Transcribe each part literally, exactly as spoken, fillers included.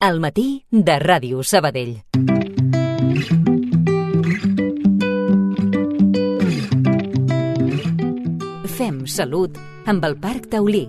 Al matí de Ràdio Sabadell. Fem salut amb el Parc Taulí.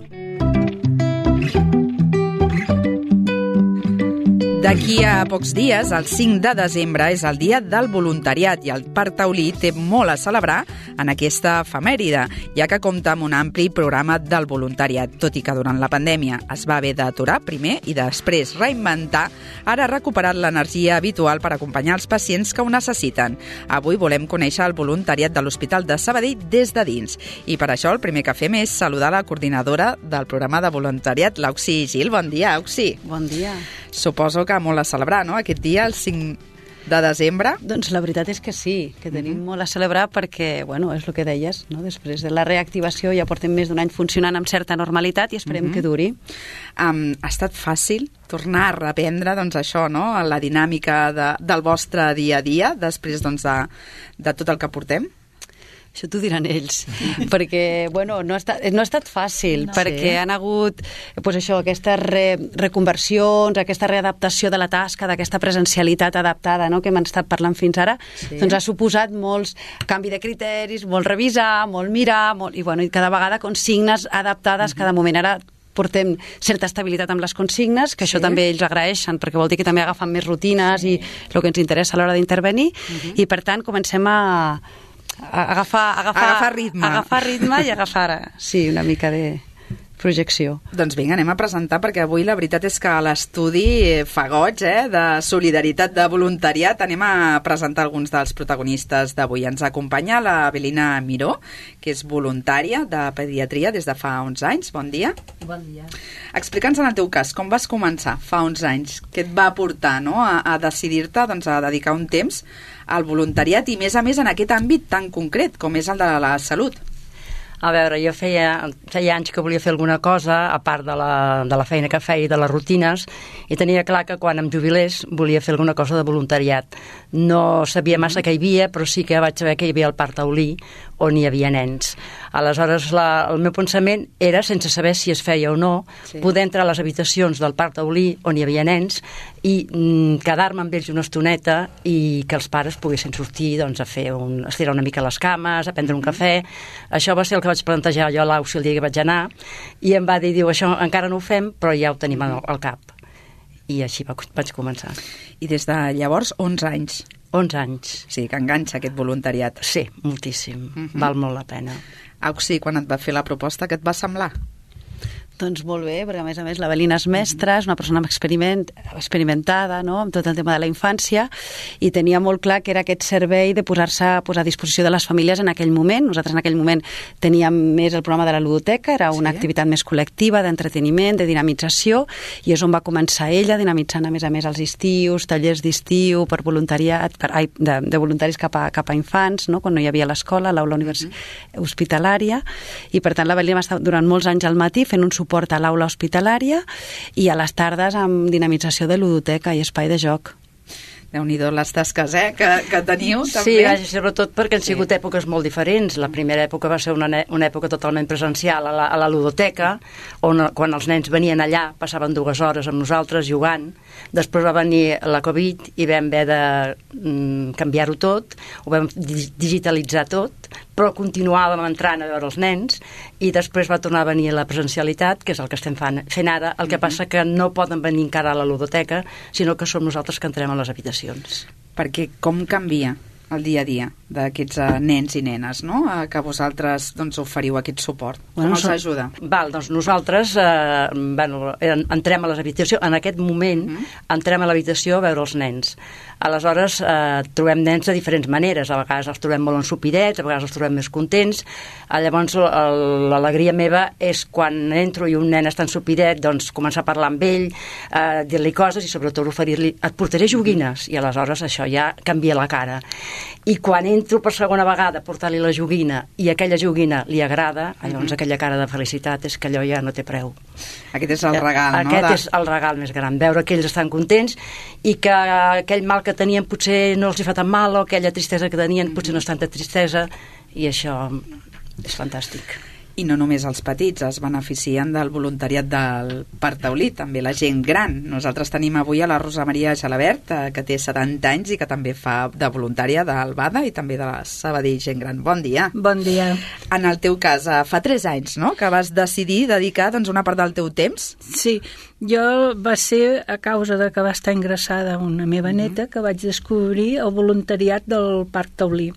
D'aquí a pocs dies, el cinc de desembre, és el dia del voluntariat i el Parc Taulí té molt a celebrar en aquesta efemèride, ja que compta amb un ampli programa del voluntariat. Tot i que durant la pandèmia es va haver d'aturar primer i després reinventar, ara ha recuperat l'energia habitual per acompanyar els pacients que ho necessiten. Avui volem conèixer el voluntariat de l'Hospital de Sabadell des de dins. I per això el primer que fem és saludar la coordinadora del programa de voluntariat, l'Auxi Gil. Bon dia, Auxi. Bon dia. Suposo que molt a celebrar, no?, aquest dia, el cinc de desembre. Doncs la veritat és que sí, que tenim mm-hmm. molt a celebrar perquè, bueno, és el que deies, no? Després de la reactivació ja portem més d'un any funcionant amb certa normalitat i esperem mm-hmm. que duri. Um, ha estat fàcil tornar a reprendre, doncs, això, no?, la dinàmica de, del vostre dia a dia després, doncs, de, de tot el que portem? Això t'ho diran ells, perquè, bueno, no ha estat, no ha estat fàcil, no, perquè sí. han hagut, pues això, aquestes re, reconversions, aquesta readaptació de la tasca, d'aquesta presencialitat adaptada, no?, que hem estat parlant fins ara, sí. doncs ha suposat molts canvi de criteris, molt revisar, molt mirar, molt, i, bueno, i cada vegada consignes adaptades, mm-hmm. cada moment. Ara portem certa estabilitat amb les consignes, que sí. això també ells agraeixen, perquè vol dir que també agafen més rutines sí. i el que ens interessa a l'hora d'intervenir, mm-hmm. i per tant comencem a agafar, agafar, agafar ritme. agafar ritme i agafar, sí, una mica de projecció. Doncs vinga, anem a presentar, perquè avui la veritat és que a l'estudi fa goig, eh, de solidaritat, de voluntariat. Anem a presentar alguns dels protagonistes d'avui. Ens acompanya la Belina Miró, que és voluntària de pediatria des de fa onze anys. Bon dia. Bon dia. Explica'ns en el teu cas, com vas començar fa onze anys? Què et va portar, no?, a, a decidir-te, doncs, a dedicar un temps al voluntariat i, més a més, en aquest àmbit tan concret com és el de la salut? A veure, jo feia, feia anys que volia fer alguna cosa, a part de la, de la feina que feia i de les rutines, i tenia clar que quan em jubilés volia fer alguna cosa de voluntariat. No sabia massa què hi havia, però sí que vaig saber que hi havia el Parc Taulí, on hi havia nens. Aleshores, la, el meu pensament era, sense saber si es feia o no, sí. poder entrar a les habitacions del Parc Taulí, on hi havia nens, i mm, quedar-me amb ells una estoneta i que els pares poguessin sortir, doncs, a fer un, a estirar una mica les cames, a prendre un cafè. Això va ser el que vaig plantejar jo a l'Auxi el dia que vaig anar, i em va dir, diu, això encara no ho fem, però ja ho tenim al, al cap. I així va, vaig començar. I des de llavors, onze anys. onze anys. Sí, que enganxa aquest voluntariat. Sí, moltíssim. Uh-huh. Val molt la pena. Auxi, quan et va fer la proposta, què et va semblar? Doncs molt bé, perquè a més a més la Belina és mestra, és una persona experiment, experimentada, no?, amb tot el tema de la infància, i tenia molt clar que era aquest servei de posar-se a posar a disposició de les famílies en aquell moment. Nosaltres en aquell moment teníem més el programa de la ludoteca, era una sí. activitat més col·lectiva, d'entreteniment, de dinamització, i és on va començar ella, dinamitzant a més a més els estius, tallers d'estiu per voluntariat, per, ai, de, de voluntaris cap a, cap a infants, no?, quan no hi havia l'escola, l'aula univers... uh-huh. hospitalària, i per tant la Belina va estar durant molts anys al matí fent un suport porta a l'aula hospitalària i a les tardes amb dinamització de ludoteca i espai de joc. Déu-n'hi-do les tasques, eh, que, que teniu, també. Sí, sobretot perquè han sigut sí. èpoques molt diferents. La primera època va ser una, una època totalment presencial a la, a la ludoteca, on quan els nens venien allà passaven dues hores amb nosaltres jugant. Després va venir la Covid i vam haver de mm, canviar-ho tot, ho vam digitalitzar tot, però continuàvem entrant a veure els nens, i després va tornar a venir la presencialitat, que és el que estem fent, fent ara. El que mm-hmm. passa que no poden venir encara a la ludoteca, sinó que som nosaltres que entrem a les habitacions. Perquè com canvia el dia a dia d'aquests uh, nens i nenes, no?, uh, que vosaltres, doncs, oferiu aquest suport? Com bueno, els ajuda? Val, doncs nosaltres eh, bueno, entrem a les habitacions, en aquest moment mm. entrem a l'habitació a veure els nens. Aleshores eh, trobem nens de diferents maneres, a vegades els trobem molt ensopidets, a vegades els trobem més contents. Llavors l'alegria meva és quan entro i un nen està ensopidet, doncs començar a parlar amb ell, eh, dir-li coses i sobretot oferir-li, et portaré joguines, i aleshores això ja canvia la cara. I quan entro per segona vegada a portar-li la joguina i aquella joguina li agrada, llavors mm-hmm. aquella cara de felicitat és que allò ja no té preu. Aquest és el regal, Aquest no? Aquest és el regal més gran, veure que ells estan contents i que aquell mal que tenien potser no els hi fa tan mal, o aquella tristesa que tenien potser no és tanta tristesa, i això és fantàstic. I no només els petits es beneficien del voluntariat del Parc Taulí, també la gent gran. Nosaltres tenim avui a la Rosa Maria Gelabert, que té setanta anys i que també fa de voluntària del BADA i també de la Sabadell Gent Gran. Bon dia. Bon dia. En el teu cas, fa tres anys, no?, que vas decidir dedicar doncs, una part del teu temps? Sí, jo va ser a causa de que va estar ingressada una meva neta que vaig descobrir el voluntariat del Parc Taulí.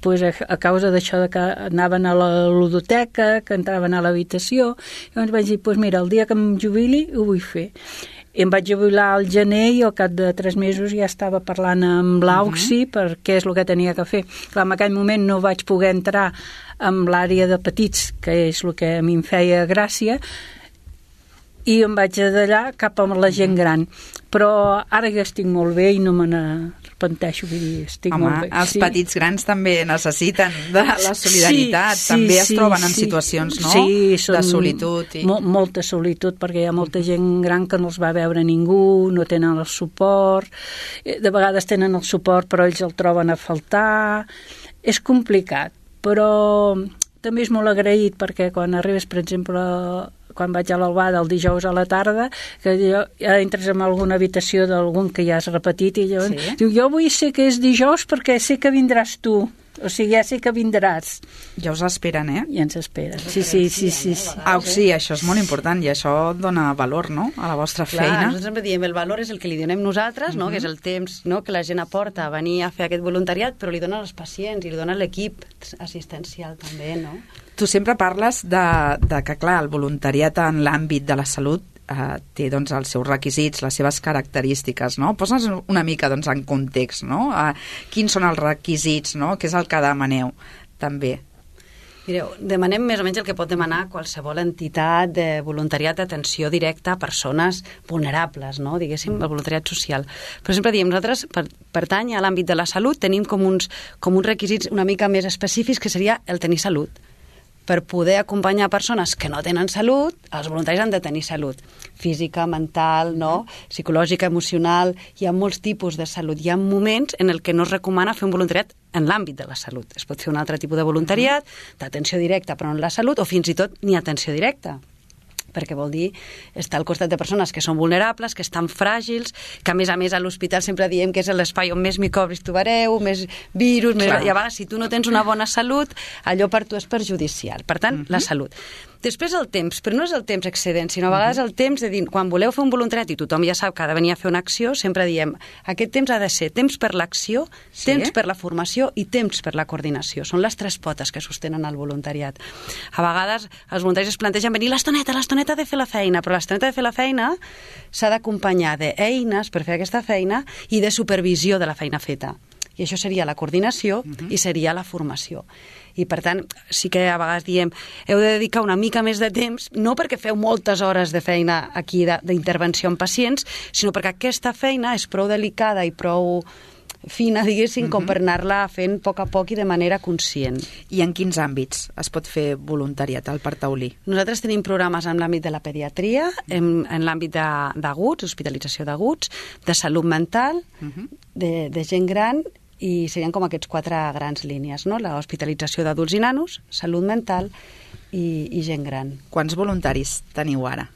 Pues a, a causa d'això de que anaven a la ludoteca, que entraven a l'habitació, llavors vaig dir, pues mira, el dia que em jubili ho vull fer. I em vaig jubilar al gener i al cap de tres mesos ja estava parlant amb l'Auxi uh-huh. per què és el que tenia que fer. Clar, en aquell moment no vaig poder entrar en l'àrea de petits, que és el que a mi em feia gràcia, i em vaig d'allà cap a la gent gran. Però ara ja estic molt bé i no me n'arrepenteixo, vull dir, estic Home, molt bé. els sí. petits grans també necessiten de la solidaritat, sí, també sí, es troben en sí. situacions, no?, sí, són de solitud. I... Mo molta solitud, perquè hi ha molta gent gran que no els va veure ningú, no tenen el suport, de vegades tenen el suport però ells el troben a faltar. És complicat, però també és molt agraït perquè quan arribes, per exemple, quan vaig a l'Albada el dijous a la tarda, que jo, ja entres en alguna habitació d'algun que ja has repetit i llavors sí. diu, jo vull ser que és dijous perquè sé que vindràs tu. O sigui, ja sé que vindràs. Ja us esperen, eh? Ja ens esperen. Sí, sí, sí, sí, sí. Ah, sí, això és molt important i això dona valor, no?, a la vostra Clar, feina. nosaltres sempre diem, el valor és el que li donem nosaltres, no?, uh-huh. que és el temps, no?, que la gent aporta a venir a fer aquest voluntariat, però li dona als pacients i li dona l'equip assistencial també, no? Tu sempre parles de, de que, clar, el voluntariat en l'àmbit de la salut eh, té doncs, els seus requisits, les seves característiques, no? Posa'ns una mica doncs, en context, no? Eh, quins són els requisits, no? Què és el que demaneu, també? Mireu, demanem més o menys el que pot demanar qualsevol entitat de voluntariat d'atenció directa a persones vulnerables, no?, diguéssim, el voluntariat social. Per exemple, diem, nosaltres, per, pertany a l'àmbit de la salut, tenim com uns, com uns requisits una mica més específics, que seria el tenir salut. Per poder acompanyar persones que no tenen salut, els voluntaris han de tenir salut física, mental, no? psicològica, emocional. Hi ha molts tipus de salut. Hi ha moments en el que no es recomana fer un voluntariat en l'àmbit de la salut. Es pot fer un altre tipus de voluntariat, d'atenció directa, però no en la salut, o fins i tot ni atenció directa, perquè vol dir estar al costat de persones que són vulnerables, que estan fràgils, que a més a més a l'hospital sempre diem que és l'espai on més microbis trobareu, més virus, més... i a vegades si tu no tens una bona salut, allò per tu és perjudicial. Per tant, uh-huh. la salut. Després el temps, però no és el temps excedent, sinó a vegades el temps de dir, quan voleu fer un voluntariat i tothom ja sap que ha de venir a fer una acció, sempre diem, aquest temps ha de ser temps per l'acció, sí. temps per la formació i temps per la coordinació. Són les tres potes que sostenen el voluntariat. A vegades els voluntaris es plantegen venir l'estoneta, l'estoneta de fer la feina, però l'estoneta de fer la feina s'ha d'acompanyar d'eines per fer aquesta feina i de supervisió de la feina feta. I això seria la coordinació uh-huh. i seria la formació. I, per tant, sí que a vegades diem heu de dedicar una mica més de temps, no perquè feu moltes hores de feina aquí d'intervenció en pacients, sinó perquè aquesta feina és prou delicada i prou fina, diguéssim, uh-huh. com per anar-la fent a poc a poc i de manera conscient. I en quins àmbits es pot fer voluntariat al Parc Taulí? Nosaltres tenim programes en l'àmbit de la pediatria, en, en l'àmbit d'aguts, hospitalització d'aguts, de salut mental, uh-huh. de, de gent gran, i serien com aquests quatre grans línies, no? La hospitalització d'adults i nanos, salut mental i, i gent gran. Quants voluntaris teniu ara?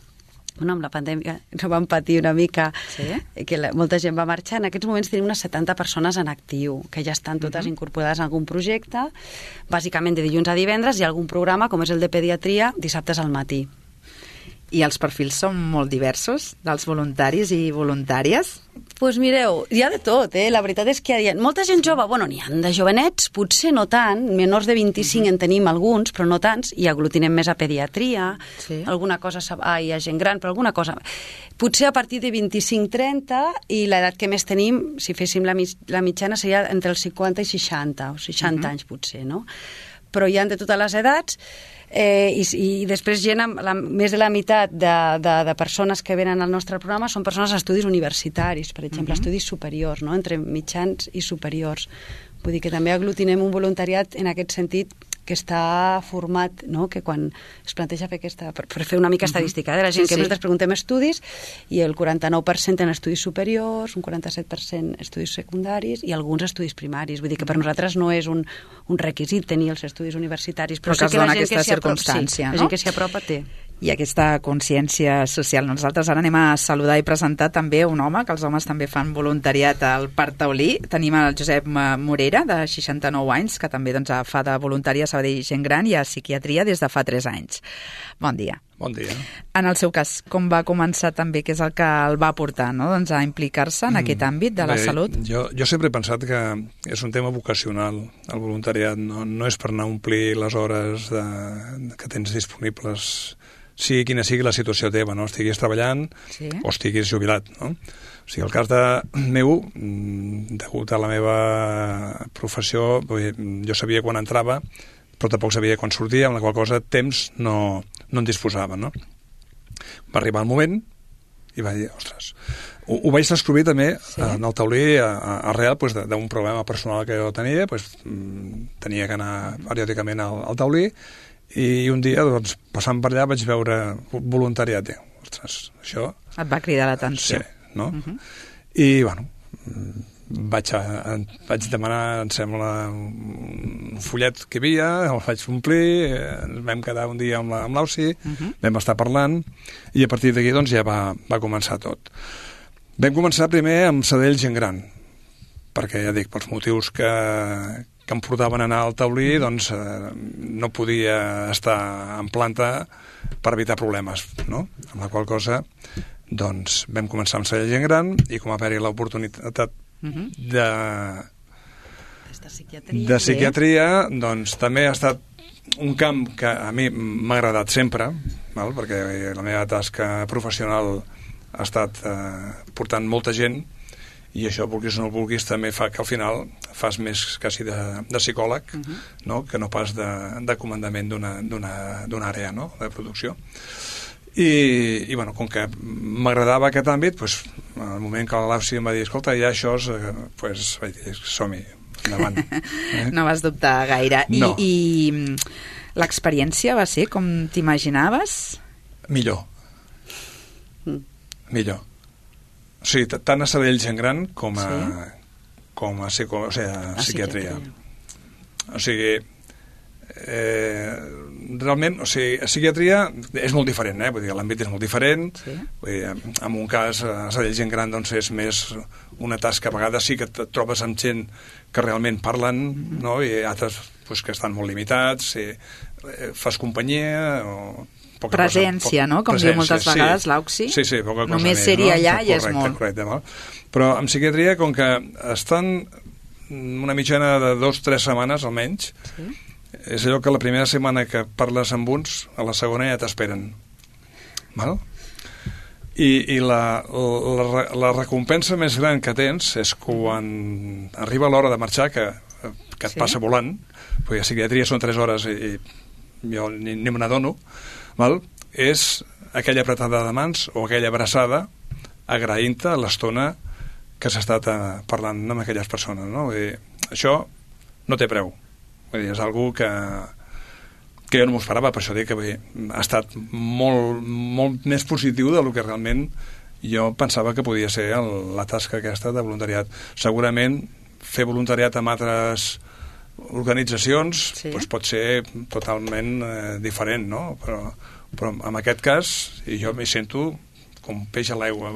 Bueno, amb la pandèmia no vam patir una mica, sí? que la, molta gent va marxar. En aquests moments tenim unes setanta persones en actiu, que ja estan totes uh-huh. incorporades en algun projecte, bàsicament de dilluns a divendres, i algun programa, com és el de pediatria, dissabtes al matí. I els perfils són molt diversos, dels voluntaris i voluntàries? Doncs pues mireu, hi ha de tot, eh? La veritat és que hi ha molta gent jove, bueno, n'hi ha de jovenets, potser no tant, menors de vint-i-cinc en tenim alguns, però no tants, i aglutinem més a pediatria, sí. alguna cosa, ah, hi ha gent gran, però alguna cosa... Potser a partir de vint-i-cinc trenta, i l'edat que més tenim, si féssim la, mig, la mitjana, seria entre els cinquanta i seixanta, o seixanta uh-huh. anys potser, no? Però hi ha de totes les edats, eh, i, i després gent, la, més de la meitat de, de, de persones que venen al nostre programa són persones d'estudis universitaris, per exemple, uh-huh. estudis superiors, no? Entre mitjans i superiors. Vull dir que també aglutinem un voluntariat en aquest sentit que està format, no? Que quan es planteja fer aquesta... Per, per fer una mica estadística, eh, de la gent Sí, que sí. nosaltres preguntem estudis, i el quaranta-nou per cent en estudis superiors, un quaranta-set per cent estudis secundaris i alguns estudis primaris. Vull dir que per nosaltres no és un, un requisit tenir els estudis universitaris, però, Però que sí es que la dona gent aquesta que s'hi apropa, circumstància, sí, no? la gent que s'hi apropa té. I aquesta consciència social. Nosaltres ara anem a saludar i presentar també un home, que els homes també fan voluntariat al Parc Taulí. Tenim el Josep Morera, de seixanta-nou anys, que també doncs, fa de voluntari a Sabadell Gent Gran i a psiquiatria des de fa tres anys. Bon dia. Bon dia. En el seu cas, com va començar també, què és el que el va portar, no? doncs, a implicar-se en aquest àmbit de la Bé, salut? Jo, jo sempre he pensat que és un tema vocacional, el voluntariat. No, no és per anar a omplir les hores de, que tens disponibles, sigui quina sigui la situació teva, no? Estiguis treballant Sí. o estiguis jubilat, no? O sigui, el cas de meu, degut a la meva professió, jo sabia quan entrava, però tampoc sabia quan sortia, amb la qual cosa temps no, no en disposava, no? Va arribar el moment i vaig dir, ostres, ho, ho vaig descobrir també sí. en el taulí a, a, arrel pues, d'un problema personal que jo tenia, pues, tenia que anar periòdicament al, al taulí, i un dia, doncs, passant per allà vaig veure voluntariat. Ostres, això... Et va cridar l'atenció. Sí, no? Uh -huh. I, bueno, vaig, a, vaig demanar, em sembla, un fullet que hi havia, el vaig omplir, ens vam quedar un dia amb l'Ausi, la, uh -huh. vam estar parlant, i a partir d'aquí, doncs, ja va, va començar tot. Vam començar primer amb Sabadell Gent Gran, perquè, ja dic, pels motius que... que em portaven a anar al taulí, doncs eh, no podia estar en planta per evitar problemes, no? Amb la qual cosa, doncs, vam començar amb Sabadell Gent Gran i com va haver-hi l'oportunitat Uh-huh. de, De psiquiatria. de psiquiatria, doncs també ha estat un camp que a mi m'ha agradat sempre, val? Perquè la meva tasca professional ha estat eh, portant molta gent, i això, vulguis o no vulguis, també fa que al final fas més quasi de, de psicòleg, uh-huh. no? Que no pas de, de comandament d'una àrea, no? De producció. I, i bueno, com que m'agradava aquest àmbit, doncs, al moment que l'Ausi em va dir, escolta, ja això, eh, doncs, vaig dir, som-hi, endavant. Eh? No vas dubtar gaire. I, no. i l'experiència va ser com t'imaginaves? Millor. Mm. Millor. O sigui, tant a Sabadell Gent Gran com a, Sí. com a, psico, o sigui, a A psiquiatria. psiquiatria. O sigui, eh, realment, o sigui, a psiquiatria és molt diferent, eh? Vull dir, l'àmbit és molt diferent. Sí. Vull dir, en un cas, a Sabadell Gent Gran, doncs és més una tasca, a vegades sí que et trobes amb gent que realment parlen, mm-hmm. no? I altres pues, que estan molt limitats, i, eh, fas companyia o... Poca presència, cosa, no? Com presència, diu moltes vegades sí. l'Auxi. Sí, sí, poca cosa Només més, ser-hi no? allà Correcte, ja és molt. Correcte, val? Però en psiquiatria, com que estan una mitjana de dos o tres setmanes, almenys, sí. És allò que la primera setmana que parles amb uns, a la segona ja t'esperen. Val? I, i la, la, la recompensa més gran que tens és quan arriba l'hora de marxar, que, que et sí. passa volant, perquè a psiquiatria són tres hores i, i jo ni, ni me n'adono, val? És aquella apretada de mans o aquella abraçada agraint-te l'estona que s'ha estat parlant amb aquelles persones, no? Vull dir, això no té preu. Vull dir, és algú que, que jo no m'ho esperava, per això dic que vull dir, ha estat molt, molt més positiu del que realment jo pensava que podia ser el, la tasca aquesta de voluntariat. Segurament fer voluntariat amb altres organitzacions sí. doncs pot ser totalment eh, diferent, no? Però, però en aquest cas jo m'hi sento com peix a l'aigua.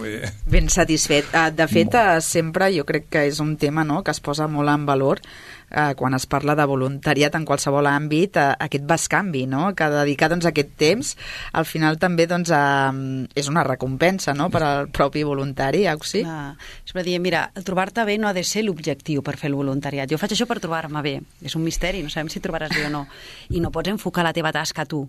Ben satisfet. De fet, sempre jo crec que és un tema, no?, que es posa molt en valor eh, quan es parla de voluntariat en qualsevol àmbit, eh, aquest bescanvi, no?, que dedicar doncs, aquest temps al final també doncs, eh, és una recompensa, no?, per al propi voluntari, Auxi. Ah, és per dir, mira, trobar-te bé no ha de ser l'objectiu per fer el voluntariat. Jo faig això per trobar-me bé. És un misteri, no sabem si trobaràs bé o no. I no pots enfocar la teva tasca tu.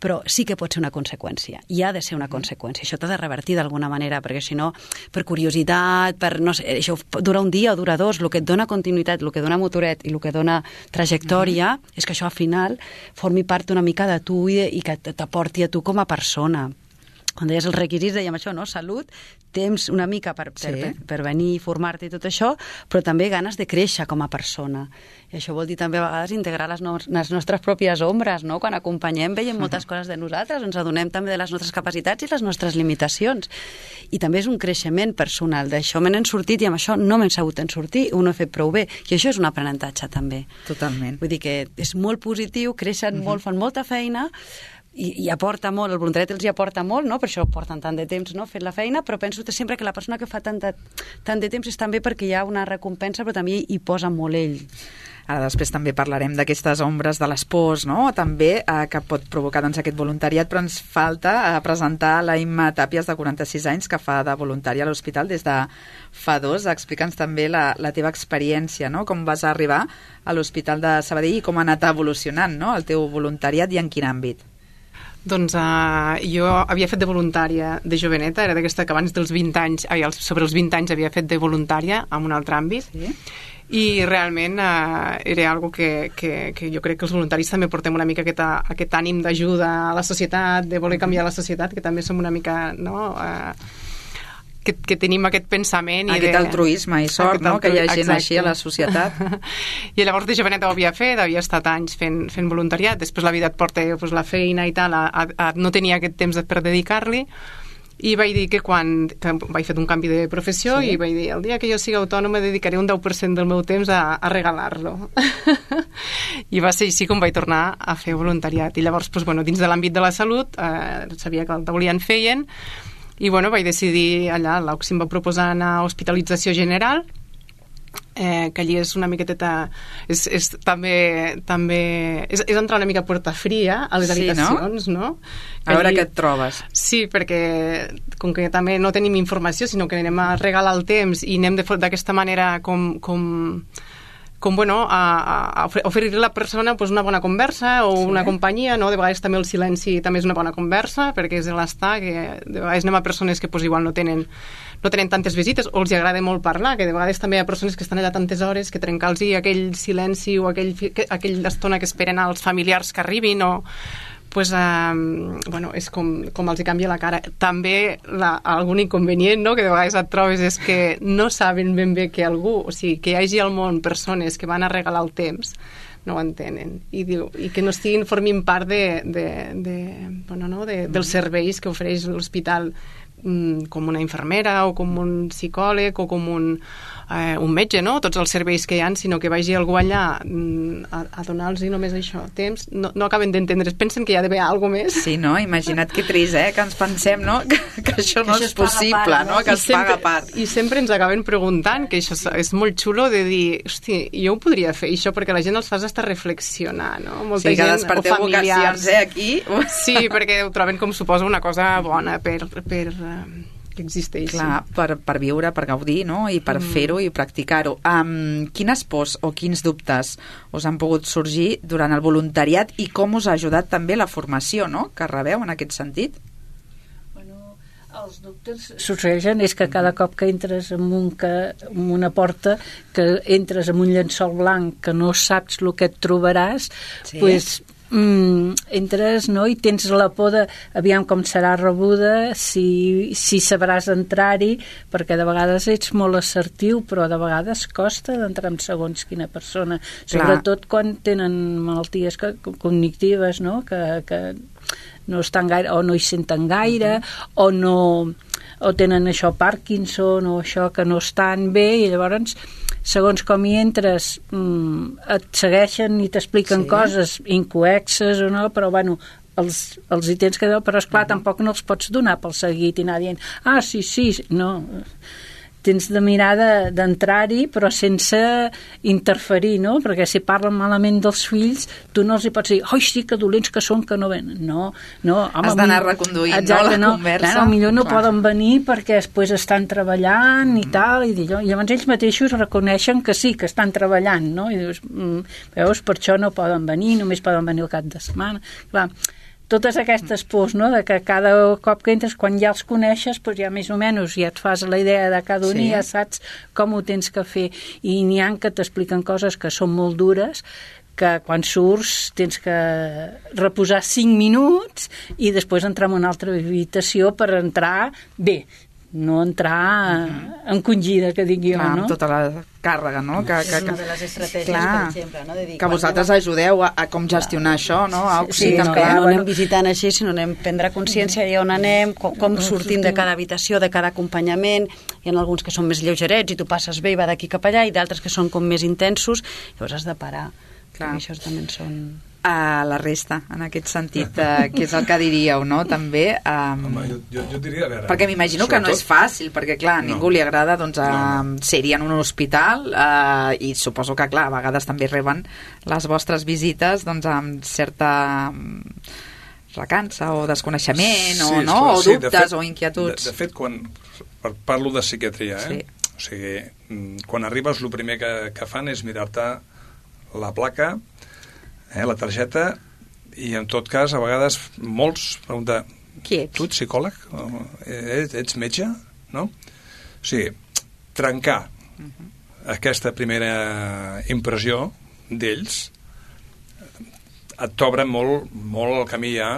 Però sí que pot ser una conseqüència. I ha de ser una conseqüència. Això t'ha de revertir d'alguna manera, perquè si no, per curiositat, per no sé, això dura un dia o dura dos, el que et dona continuïtat, el que dona motoret i el que dona trajectòria, mm-hmm. és que això al final formi part una mica de tu i, i que t'aporti a tu com a persona. Quan deies els requisits, dèiem això, no? Salut, temps una mica per, per, Sí. per, per venir i formar-te i tot això, però també ganes de créixer com a persona. I això vol dir també a vegades integrar les, no les nostres pròpies ombres, no? Quan acompanyem veiem moltes coses de nosaltres, ens adonem també de les nostres capacitats i les nostres limitacions. I també és un creixement personal. D'això me n'he sortit i amb això no m'he sabut en sortir, ho no he fet prou bé. I això és un aprenentatge també. Totalment. Vull dir que és molt positiu, creixen uh-huh. molt, fan molta feina, i, i aporta molt, el voluntariat els hi aporta molt, no? Per això porten tant de temps, no? Fent la feina, però penso que sempre que la persona que fa tant de, tant de temps és també perquè hi ha una recompensa, però també hi posa molt ell. Ara després també parlarem d'aquestes ombres de les pors, no? També eh, que pot provocar doncs, aquest voluntariat, però ens falta eh, presentar la Imma Tàpies, de quaranta-sis anys, que fa de voluntària a l'hospital des de fa dos. Explica'ns també la, la teva experiència, no? Com vas arribar a l'Hospital de Sabadell i com ha anat evolucionant, no? El teu voluntariat i en quin àmbit? Doncs uh, jo havia fet de voluntària de joveneta, era d'aquesta que abans dels vint anys, ai, sobre els vint anys havia fet de voluntària en un altre àmbit, sí. I realment uh, era algo que, que, que jo crec que els voluntaris també portem una mica aquest, aquest ànim d'ajuda a la societat, de voler canviar la societat, que també som una mica, no... Uh, Que, que tenim aquest pensament i aquest de, altruisme i sort, no? Que hi ha gent exacte. Així a la societat. I llavors de joveneta ho havia fet, havia estat anys fent, fent voluntariat, després la vida et porta pues, la feina i tal, a, a, a no tenia aquest temps per dedicar-li, i vaig dir que quan que vaig fer un canvi de professió sí. I vaig dir, el dia que jo sigui autònoma dedicaré un deu per cent del meu temps a, a regalar-lo. I va ser així com vaig tornar a fer voluntariat. I llavors, pues, bueno, dins de l'àmbit de la salut, eh, sabia que el Taulí en feien, i bueno, vaig decidir allà, l'Auxi em va proposar anar a hospitalització general, eh, que allí és una miqueteta és, és també, també és, és entrar una mica a porta fria a les sí, habitacions, no? no? A veure allí, què et trobes. Sí, perquè com que també no tenim informació, sinó que anem a regalar el temps i anem d'aquesta manera com... com com bueno, a, a oferir a la persona pues, una bona conversa o sí. Una companyia, no? De vegades també el silenci també és una bona conversa, perquè és l'estar, que de vegades anem a persones que pues, igual no tenen, no tenen tantes visites o els agrada molt parlar, que de vegades també hi ha persones que estan allà tantes hores que trencar-los aquell silenci o aquell, aquella estona que esperen als familiars que arribin o... pues, um, bueno, és com, com els hi canvia la cara. També la, algun inconvenient, no?, que de vegades et trobes és que no saben ben bé que algú, o sigui, que hi hagi al món persones que van a regalar el temps, no ho entenen, i, diu, i que no estiguin formin part de, de, de, bueno, no? de, dels serveis que ofereix l'hospital, mm, com una infermera o com un psicòleg o com un, eh, un metge, no? Tots els serveis que hi ha, sinó que vagi algú allà mm, a, a donar-los només això, temps, no, no acaben d'entendre, pensen que hi ha d'haver alguna més. Sí, no? Imagina't que trist, eh? Que ens pensem, no? Que, que això no que és possible, part, no? Que I es sempre, paga a part. I sempre ens acaben preguntant, que això és, és molt xulo de dir, hosti, jo ho podria fer, això, perquè la gent els fas estar reflexionar, no? Molta sí, que gent, desperteu vocacions, eh, aquí. Sí, perquè ho troben com suposa una cosa bona per... per que existeix. Clar, per, per viure, per gaudir, no? I per mm. fer-ho i practicar-ho. Um, quines pors o quins dubtes us han pogut sorgir durant el voluntariat i com us ha ajudat també la formació, no?, que rebeu en aquest sentit? Bueno, els dubtes sorgeixen és que cada cop que entres en, un que, en una porta, que entres en un llençol blanc que no saps el que et trobaràs, sí. pues Mm, entres, no?, i tens la por de aviam com serà rebuda, si, si sabràs entrar-hi, perquè de vegades ets molt assertiu, però de vegades costa d'entrar en segons quina persona, sobretot Clar. Quan tenen malalties que, cognitives, no?, que, que no estan gaire, o no hi senten gaire, uh-huh. o no o tenen això Parkinson o això que no estan bé, i llavors segons com hi entres mmm, et segueixen i t'expliquen sí. coses incoexes o no, però bueno els, els hi tens que dir, però esclar uh-huh. tampoc no els pots donar pel seguit i anar dient ah sí, sí, no tens de mirar d'entrar-hi però sense interferir, no? Perquè si parlen malament dels fills tu no els hi pots dir, oi sí, que dolents que són que no venen, no, no home, has d'anar reconduint, exacte, no, la no, conversa no, millor no Clar. Poden venir perquè després estan treballant i tal, i llavors ells mateixos reconeixen que sí, que estan treballant, no? I dius, mm, veus, per això no poden venir, només poden venir el cap de setmana. Clar, totes aquestes pors, no?, de que cada cop que entres, quan ja els coneixes, doncs ja més o menys ja et fas la idea de cada un sí. i ja saps com ho tens que fer. I n'hi ha que t'expliquen coses que són molt dures, que quan surts tens que reposar cinc minuts i després entrar en una altra habitació per entrar bé, no entrar uh-huh. encongida, que dic jo, clar, no? Amb tota la càrrega, no? Que, que, és una de les estratègies, clar, per exemple, no? De dir, que vosaltres va... ajudeu a, a com gestionar clar. Això, no? A sí, sí, no, també. no anem visitant així, sinó anem prendre consciència de on anem, com, com sortim de cada habitació, de cada acompanyament. Hi ha alguns que són més lleugerets i tu passes bé i va d'aquí cap allà, i d'altres que són com més intensos, llavors has de parar. Clar. Això també són... A la resta, en aquest sentit, eh, que és el que diríeu, no?, també. Um, Home, jo, jo, jo diria, a veure... Perquè m'imagino que no és fàcil, perquè, clar, a ningú no. li agrada, doncs, a, no, no. ser-hi en un hospital, eh, i suposo que, clar, a vegades també reben les vostres visites, doncs, amb certa recança o desconeixement, sí, o, no? Clar, o dubtes, sí, fet, o inquietuds. De, de fet, quan parlo de psiquiatria, eh? Sí. O sigui, quan arribes, el primer que, que fan és mirar-te la placa, Eh, la targeta, i en tot cas a vegades molts pregunten, qui ets? Tu ets psicòleg? Ets, ets metge? No? O sigui, trencar uh-huh. aquesta primera impressió d'ells et t'obre molt, molt el camí ja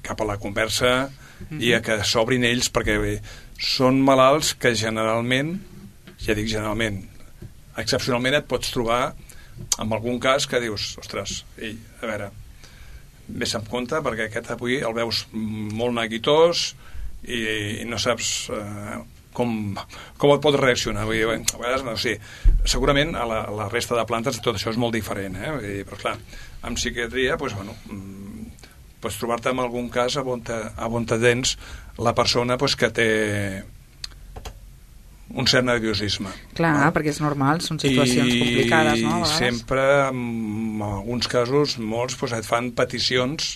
cap a la conversa uh-huh. i a que s'obrin ells, perquè bé, són malalts que generalment, ja dic generalment, excepcionalment et pots trobar en algun cas que dius, ostres, ei, a veure, vés amb compte perquè aquest avui el veus molt neguitós i, i no saps eh, com, com et pot reaccionar. Vull dir, bé, a vegades, no sé, segurament a la, a la resta de plantes tot això és molt diferent, eh? Vull dir, però clar, amb psiquiatria, doncs, bueno, pots trobar-te en algun cas a on te, a on te tens la persona doncs, que té un cert nerviosisme. Clar, no? Perquè és normal, són situacions I complicades, no? I sempre, en alguns casos, molts doncs, et fan peticions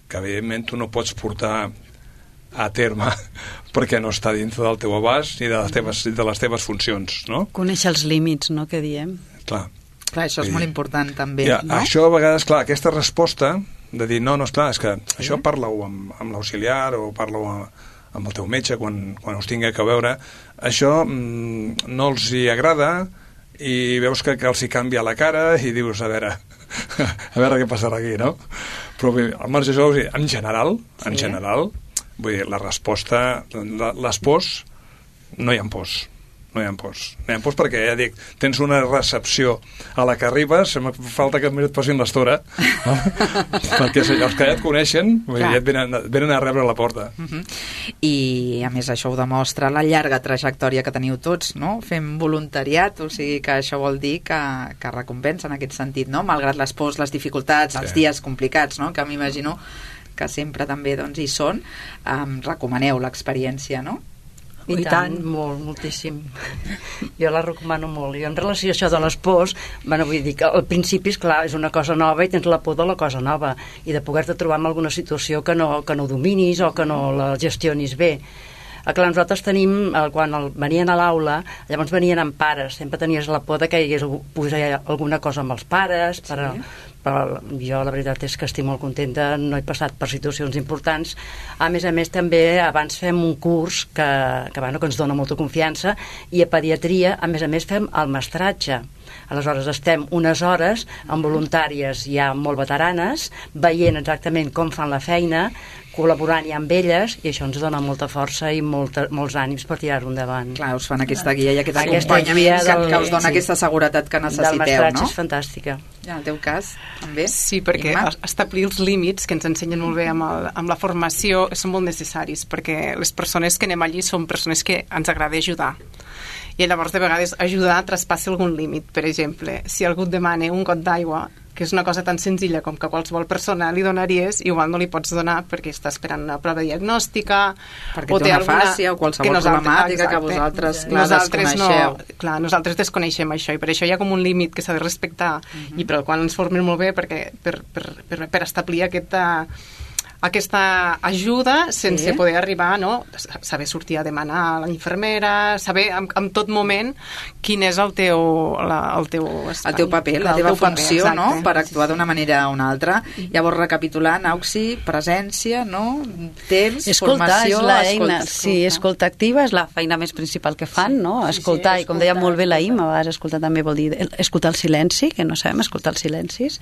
que, evidentment, tu no pots portar a terme perquè no està dintre del teu abast ni de les teves, de les teves funcions, no? Conèixer els límits, no?, que diem. Clar. Clar, això és I, molt important, també, ja, no? Això, a vegades, clar, aquesta resposta de dir, no, no, esclar, és que sí. això parla-ho amb, amb l'auxiliar o parla-ho amb, amb el teu metge quan, quan us tingui que veure, això mm, no els hi agrada i veus que, que els hi canvia la cara i dius, a veure, a veure què passarà aquí, no? Però bé, al marge d'això, en general, sí. en general, vull dir, la resposta, la, les pors, no hi ha pors. No hi ha pors. No hi ha pors perquè, ja dic, tens una recepció a la que arribes, em falta que et posin l'estora, no? perquè els que ja et coneixen vull dir, ja et venen, venen a rebre a la porta. Uh-huh. I, a més, això ho demostra la llarga trajectòria que teniu tots, no? Fem voluntariat, o sigui que això vol dir que, que recompensa en aquest sentit, no? Malgrat les pors, les dificultats, els sí. dies complicats, no? Que m'imagino que sempre també doncs, hi són, um, recomaneu l'experiència, no? I, I tant, tant, molt, moltíssim. Jo la recomano molt. I en relació a això de les pors, bueno, vull dir que al principi, és clar, és una cosa nova i tens la por de la cosa nova i de poder-te trobar en alguna situació que no, que no dominis o que no la gestionis bé. Clar, nosaltres tenim, quan el, venien a l'aula, llavors venien amb pares, sempre tenies la por de que hi hagués posar alguna cosa amb els pares, per, sí. però jo la veritat és que estic molt contenta, no he passat per situacions importants. A més a més, també abans fem un curs que, que, bueno, que ens dona molta confiança, i a pediatria, a més a més, fem el mestratge. Aleshores estem unes hores amb voluntàries ja molt veteranes, veient exactament com fan la feina, col·laborant ja amb elles, i això ens dona molta força i molta, molts ànims per tirar-ho endavant. Clar, us fan aquesta guia i aquest acompanyament que, que us dona sí. aquesta seguretat que necessiteu, no? Del mestratge és fantàstica. Ja, en el teu cas, també? Sí, perquè Imma? establir els límits, que ens ensenyen molt bé amb, el, amb la formació, són molt necessaris, perquè les persones que anem allí són persones que ens agrada ajudar. I llavors, de vegades, ajudar traspassa algun límit. Per exemple, si algú et demana un got d'aigua, que és una cosa tan senzilla com que qualsevol persona li donaries, igual no li pots donar perquè està esperant una prova diagnòstica, perquè o té una alguna fàcia o qualsevol problemàtica que vosaltres, clar, nosaltres desconeixeu. No, clar, nosaltres desconeixem això, i per això hi ha com un límit que s'ha de respectar, uh-huh. i per al qual ens formem molt bé perquè, per, per, per, per establir aquesta aquesta ajuda sense sí. poder arribar, no? Saber sortir a demanar a la infermera, saber en, en tot moment quin és el teu, la, el teu espai. El teu paper, la teva funció, paper, no? Per actuar d'una manera o una altra. Llavors, recapitulant, Auxi, presència, no? Temps, escoltar, formació... És la eina. Escolta. Sí, escolta activa és la feina més principal que fan, sí. no? Escoltar, sí, sí, i com deia molt bé la Imma, a vegades escoltar també vol dir escoltar el silenci, que no sabem escoltar els silencis.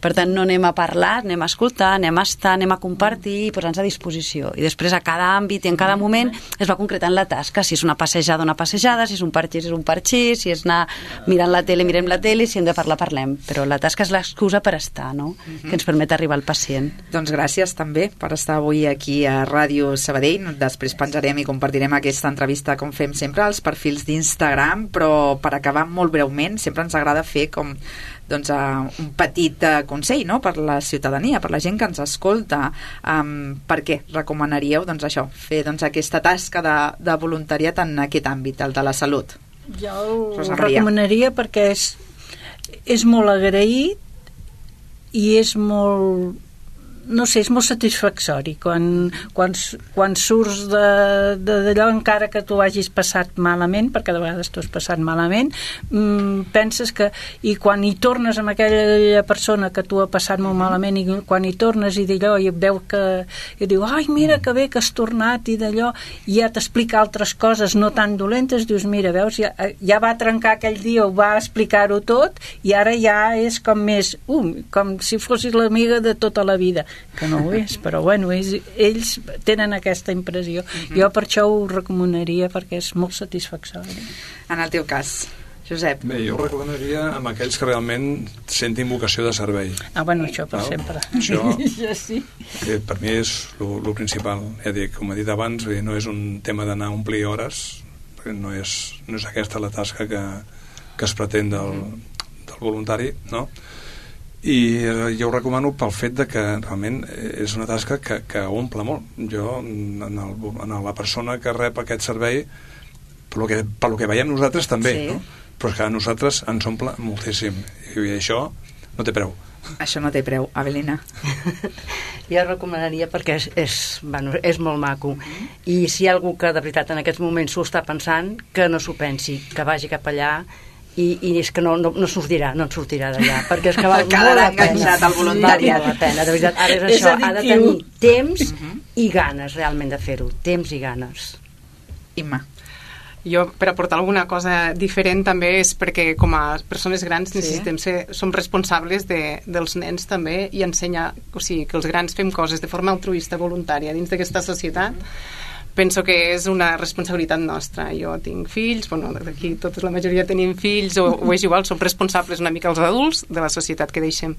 Per tant, no anem a parlar, anem a escoltar, anem a estar, anem a compartir i posar-nos a disposició. I després a cada àmbit i en cada moment es va concretant la tasca, si és una passejada, una passejada, si és un parxís, és un parxís, si és anar mirant la tele, mirem la tele, si hem de parlar, parlem. Però la tasca és l'excusa per estar, no? Uh-huh. Que ens permet arribar al pacient. Doncs gràcies també per estar avui aquí a Ràdio Sabadell. Després penjarem i compartirem aquesta entrevista, com fem sempre, als perfils d'Instagram, però per acabar molt breument, sempre ens agrada fer com doncs, uh, un petit uh, consell, no?, per la ciutadania, per la gent que ens escolta. Um, per què recomanaríeu doncs, això, fer doncs, aquesta tasca de, de voluntariat en aquest àmbit, el de la salut? Jo ho recomanaria perquè és, és molt agraït i és molt, no sé, és molt satisfactori quan, quan, quan surts d'allò, encara que tu hagis passat malament, perquè de vegades tu has passat malament, mmm, penses que, i quan hi tornes amb aquella persona que tu ha passat molt malament, i quan hi tornes i d'allò i veu que, i diu, ai, mira que bé que has tornat, i d'allò, i ja t'explica altres coses no tan dolentes, dius, mira, veus, ja, ja va trencar aquell dia, ho va explicar-ho tot, i ara ja és com més, um, com si fossis l'amiga de tota la vida, que no ho és, però bueno, ells, ells tenen aquesta impressió. Uh-huh. Jo per això ho recomanaria perquè és molt satisfactori. En el teu cas, Josep? Bé, jo ho recomanaria amb aquells que realment sentin vocació de servei. Ah, bueno, això per no? sempre. Això, ja sí. Que per mi és el principal. Ja dic, com he dit abans, no és un tema d'anar a omplir hores, perquè no és, no és aquesta la tasca que, que es pretén del, del voluntari, no? I jo ho recomano pel fet de que realment és una tasca que, que omple molt. Jo, en, el, en la persona que rep aquest servei, per lo que, per lo que veiem nosaltres també, sí. No? Però és que a nosaltres ens omple moltíssim, i això no té preu. Això no té preu. Avelina? Jo recomanaria perquè és, és, bueno, és molt maco, i si hi ha algú que de veritat en aquests moments s'ho està pensant, que no s'ho pensi, que vagi cap allà. I, i és que no, no, no sortirà, no en sortirà d'allà, perquè és que val molt la pena, al voluntariat. Val la pena, de veritat. Ara és, és això, ha de tenir temps uh-huh. i ganes realment de fer-ho, temps i ganes. Imma? Jo, per aportar alguna cosa diferent també és perquè com a persones grans necessitem sí. ser, som responsables de, dels nens també, i ensenyar, o sigui, que els grans fem coses de forma altruista, voluntària dins d'aquesta societat. Penso que és una responsabilitat nostra. Jo tinc fills, bueno, aquí tota la majoria tenim fills, o, o és igual, som responsables una mica els adults de la societat que deixem.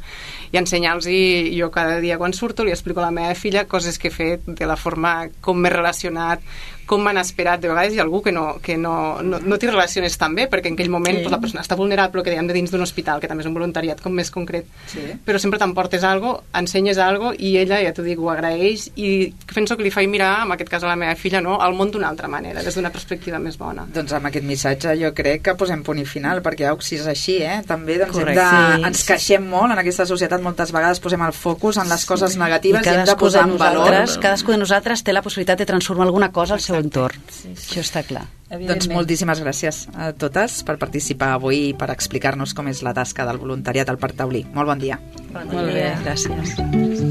I ensenyar-los, i jo cada dia quan surto li explico a la meva filla coses que he fet, de la forma com m'he relacionat, com m'han esperat. De vegades hi ha algú que no, que no, no, no t'hi relaciones tan bé, perquè en aquell moment sí. pues, la persona està vulnerable, que dèiem de dins d'un hospital, que també és un voluntariat com més concret, sí. però sempre t'emportes algo, ensenyes algo, i ella, ja t'ho dic, ho agraeix, i penso que li faig mirar, en aquest cas a la meva filla, no, al món d'una altra manera, des d'una perspectiva més bona. Doncs amb aquest missatge jo crec que posem punt i final, perquè au, si és així, eh? també doncs, hem de, sí. ens queixem molt en aquesta societat, moltes vegades posem el focus en les coses sí. negatives i, i hem de posar en valor. Cadascú de nosaltres té la possibilitat de transformar alguna cosa al seu entorn. Sí, sí. Això està clar. Doncs moltíssimes gràcies a totes per participar avui i per explicar-nos com és la tasca del voluntariat al Parc Taulí. Molt bon dia. Bon dia. Molt bé, gràcies.